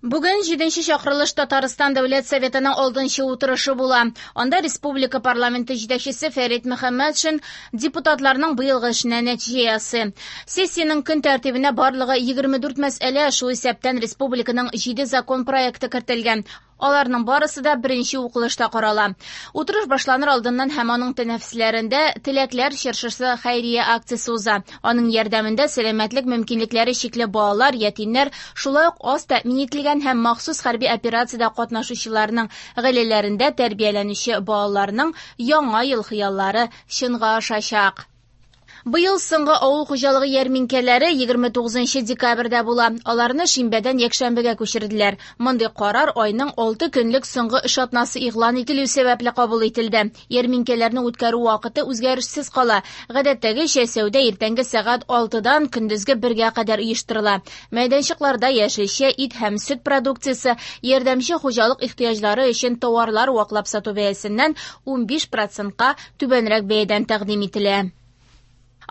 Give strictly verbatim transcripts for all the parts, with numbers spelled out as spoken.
Бүген җиденче чакырылыш Татарстан Дәүләт Советының алтынчы утырышы була. Анда республика парламенты җитәкчесе Фәрит Мөхәммәтшин депутатларның быелгы эшенә нәтиҗә ясый. Сессиянең көн тәртибенә барлыгы егерме дүрт мәсьәлә, шул исәптән республиканың җиде закон проекты кертелгән. Аларның барысы да беренче укылышта карала. Утырыш башланыр алдыннан һәм аның тәнәфесләрендә Теләкләр чыршысы хәйрия акциясе уза. Аның ярдәмендә сәламәтлек мөмкинлекләре чикле балалар, ятимнәр, шулай ук аз тәэмин ителгән һәм махсус хәрби операциядә катнашучыларның гаиләләрендә тәрбияләнүче балаларның яңа ел хыяллары чынга ашачак. Быел соңгы авыл хуҗалыгы ярминкәләре егерме тугызынчы декабрьдә була. Аларны шимбәдән якшәмбегә күчерделәр. Мондый карар айның алты көнлек соңгы эш атнасы игълан ителү сәбәпле кабул ителде. Ярминкәләрне үткәрү вакыты үзгәрешсез кала. Гадәттәгечә сәүдә иртәнге сәгать алтыдан көндезге бергә кадәр оештырыла. Мәйданчыкларда яшелчә, ит һәм сөт продукциясе, ярдәмче хуҗалык ихтыяҗлары өчен товарлар ваклап сату бәясеннән унбиш процентка түбәнрәк бәядән тәкъдим ителә.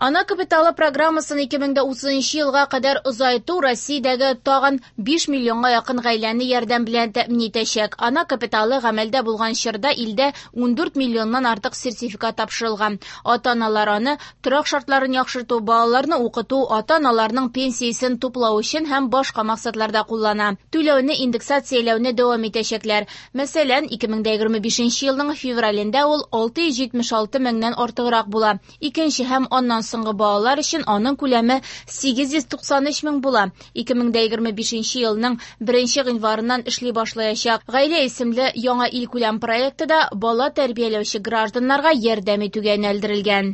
Ана капиталы программасын ике мең дә утызынчы елга кадәр озайту Россиядәге тагын биш миллионга якын гаиләне ярдәм белән тәэмин итәчәк. Ана капиталы гамәлдә булган чорда илдә ундүрт миллионнан артык сертификат тапшырылган. Ата-аналар аны торак шартларын яхшырту, балаларны укыту, ата-аналарның пенсиясен туплау өчен һәм башка максатларда куллана. Түләүне индексацияләүне дәвам итәчәкләр. Мәсәлән, ике мең дә егерме бишенче елның февралендә ул алты йөз җитмеш алты меңнән артыграк була. Икенче һәм аннан соңгы балалар өчен аның күләме сигез йөз туксан өч мең була. Ике мең дә егерме бишенче елның беренче гыйнварыннан эшли башлаячак. Гаилә исемле яңа илкүләм проекты да бала тәрбияләүче гражданнарга ярдәм итүгә юнәлдерелгән.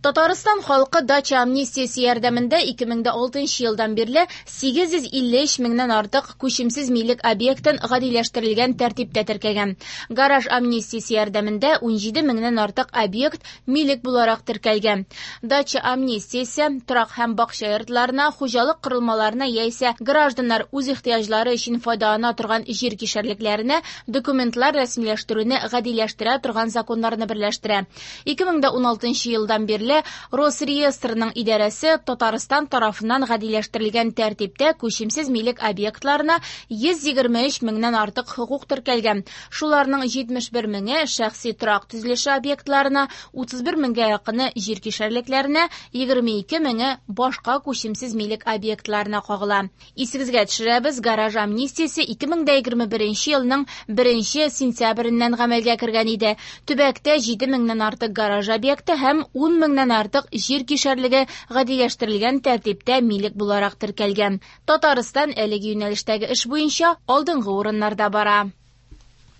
Татарстан халкы дача амнистиясе ярдәмендә ике мең дә алтынчы елдан бирле сигез йөз илле өч меңнән артык күчемсез милек объектын гадиләштерелгән тәртиптә теркәгән. Гараж амнистиясе ярдәмендә унҗиде меңнән артык объект милек буларак теркәлгән. Дача амнистиясе торак һәм бакча йортларына, хуҗалык корылмаларына яисә гражданнар үз ихтыяҗлары өчен файдалана торган җир кишәрлекләренә документлар рәсмиләштерүне гадиләштерә торган законнарны берләштерә. Ике мең дә уналтынчы елдан бирле Росреестрның идарәсе Татарстан тарафыннан гадиләштерелгән тәртиптә күчемсез милек объектларына йөз егерме өч меңнән артык хокук теркәлгән. Шуларның җитмеш бер меңе шәхси торак төзелеше объектларына, утыз бер меңгә якыны җир кишәрлекләренә, егерме ике меңе башка күчемсез милек объектларына кагыла. Исегезгә төшерәбез, гараж амнистиясе ике мең дә егерме беренче елның беренче сентябреннән гамәлгә кергән иде. Төбәктә җиде меңнән артык гараж объекты һәм ун меңнән артык җир кишәрлеге гадиләштерелгән тәртиптә милек буларак теркәлгән. Татарстан әлеге юнәлештәге эш буенча алдынгы урыннарда бара.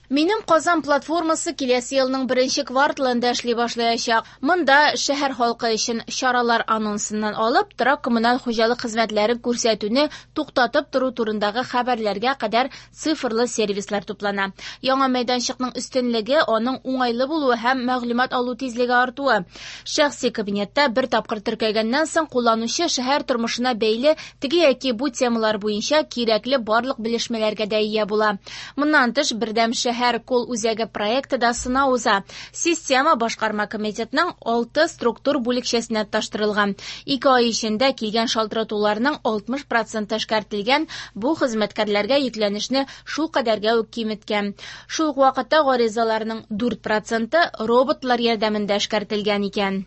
Минем Казан платформасы киләсе елның беренче кварталында эшли башлаячак. Монда шәһәр халкы өчен чаралар анонсыннан алып, торак коммуналь хуҗалык хезмәтләрен күрсәтүне туктатып тору турындагы хәбәрләргә кадәр цифрлы сервислар туплана. Яңа мәйданчыкның өстенлеге аның уңайлы булуы һәм мәгълүмат алу тизлеге артуы. Шәхси кабинетта бер тапкыр теркәлгәннән соң кулланучы шәһәр тормышына бәйле теге яки бу темалар буенча кирәкле барлык белешмәләргә дә ия була. Моннан тыш, бердәм шәһәр Шәһәр кол үзәге проекты да сынау уза. Система башкарма комитетның алты структур бүлекчәсенә тоташтырылган. Ике ай эчендә килгән шалтыратуларның алтмыш проценты эшкәртелгән, бу хезмәткәрләргә йөкләнешне шул кадәргә үк киметкән. Шул ук вакытта гаризаларның дүрт проценты роботлар ярдәмендә эшкәртелгән икән.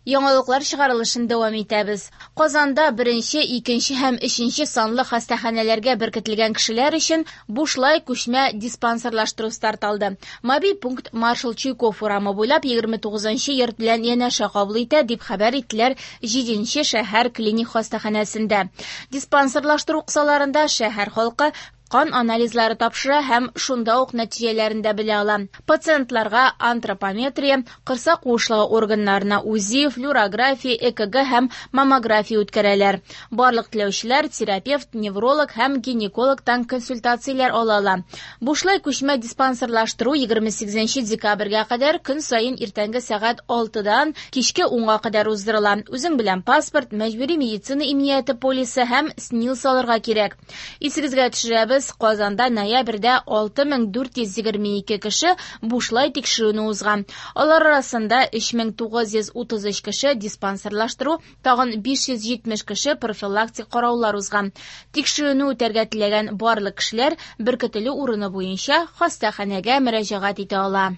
Яңалыклар чыгарылышын дәвам итәбез. Казанда беренче, икенче һәм өченче санлы хастаханәләргә беркетелгән кешеләр өчен бушлай күчмә диспансерлаштыру старт алды. Мобиль пункт Маршал Чуйков урамы буйлап егерме тугызынчы йорт белән янәшә кабул итә, дип хәбәр иттеләр җиденче шәһәр клиник хастаханәсендә. Диспансерлаштыру кысаларында шәһәр халкы кан анализлары тапшыра һәм шунда ук нәтиҗәләрен дә белә ала. Пациентларга антропометрия, корсак куышлыгы органнарына УЗИ, флюорография, ЭКГ һәм маммография үткәрәләр. Барлык теләүчеләр терапевт, невролог һәм гинекологтан консультацияләр ала ала. Бушлай күчмә диспансерлаштыру егерме сигезенче декабрьгә кадәр көн саен иртәнге сәгать алтыдан кичке унга кадәр уздырыла. Үзең белән паспорт, мәҗбүри медицина иминияте полисы һәм СНИЛС алырга кирәк. Исегезгә төшерәбез, төшерәбез, Казанда ноябрьдә алты мең дүрт йөз егерме ике кеше бушлай тикшерүне узган. Алар арасында өч мең тугыз йөз утыз өч кеше диспансерлаштыру, тагын биш йөз җитмеш кеше профилактик караулар узган. Тикшерүне үтәргә теләгән барлык кешеләр беркетелү урыны буенча хастаханәгә мөрәҗәгать итә ала.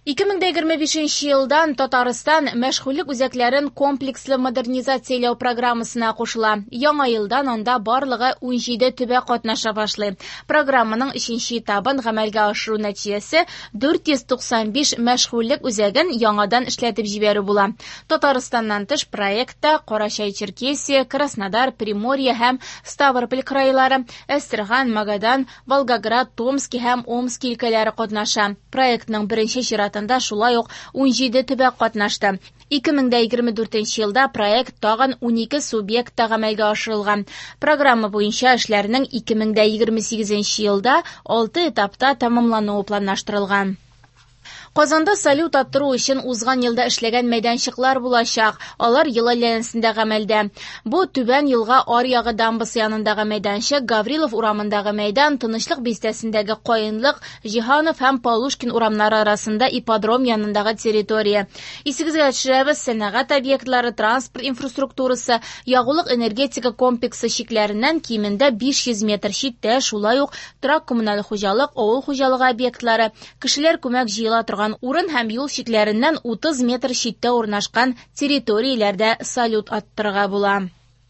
Ике мең дә егерме бишенче елдан Татарстан мәшгульлек үзәкләрен комплекслы модернизацияләү программасына кушыла. Яңа елдан анда барлыгы унҗиде төбәк катнаша башлый. Программаның өченче этабын гамәлгә ашыру нәтиҗәсе дүрт йөз туксан биш мәшгульлек үзәген яңадан эшләтеп җибәрү була. Татарстаннан тыш проектта Карачай-Черкесия, Краснодар, Приморье һәм Ставрополь крайлары, Әстерхан, Магадан, Волгоград, Томски һәм Омски өлкәләре катнаша. Проектның беренче чиратында шулай ук унҗиде төбәк катнашты. Ике мең дә егерме дүртенче елда проект тагын унике субъектта гамәлгә ашырылган. Программа буенча эшләрнең ике мең дә егерме сигезенче елда алты этапта тәмамлануы планлаштырылган. Казанда салют аттыру өчен узган елда эшләгән мәйданчыклар булачак. Алар ел әйләнәсендә гамәлдә. Бу Түбән елга аръягы дамбасы янындагы мәйданчык, Гаврилов урамындагы мәйдан, Тынычлык бистәсендәге Каенлык, Җиһанов һәм Полушкин урамнары арасында ипподром янындагы территория. Исегезгә төшерәбез, сәнәгать объектлары, транспорт инфраструктурасы, ягулык энергетика комплексы чикләреннән кимендә биш йөз метр читтә, шулай ук торак коммуналь хуҗалык, авыл хуҗалыгы объектлары, кешеләр күмәк җыела торган урын һәм юл чикләреннән утыз метр читтә урнашкан территорияләрдә салют аттырырга була.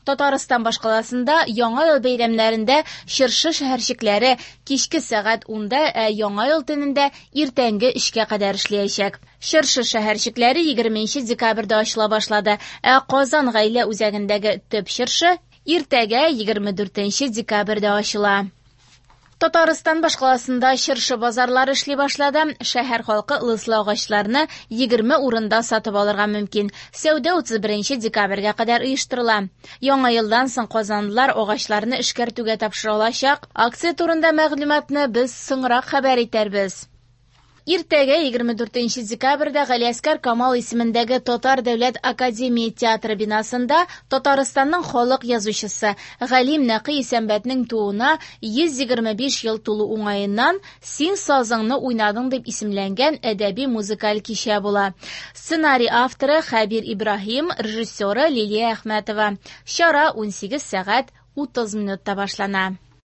Татарстан башкаласында Яңа ел бәйрәмнәрендә чыршы шәһәрчекләре кичке сәгать унда, ә Яңа ел төнендә иртәнге өчкә кадәр эшләячәк. Чыршы шәһәрчекләре егерменче декабрьдә ачыла башлады, ә Казан гаилә үзәгендәге төп чыршы иртәгә егерме дүртенче декабрьдә ачыла. Татарстан башкаласында чыршы базарлары эшли башлады. Шәһәр халкы ылыслы агачларны егерме урында сатып алырга мөмкин. Сәүдә утыз беренче декабрьгә кадәр оештырыла. Яңа елдан соң казанлылар агачларны эшкәртүгә тапшыра алачак. Акция турында мәгълүматны без соңрак хәбәр итәрбез. Иртәгә егерме дүртенче декабрьдә Галиәсгар Камал исемендәге Татар дәүләт академия театры бинасында Татарстанның халык язучысы Галим Нәкый Исәнбәтнең тууына йөз егерме биш ел тулу уңаеннан Син сазыңны уйнадың дип исемләнгән әдәби музыкаль кичә була. Сценарий авторы Хәбир Ибраһим, режиссеры Лилия Әхмәтова. Чара унсигез сәгать утыз минутта башлана.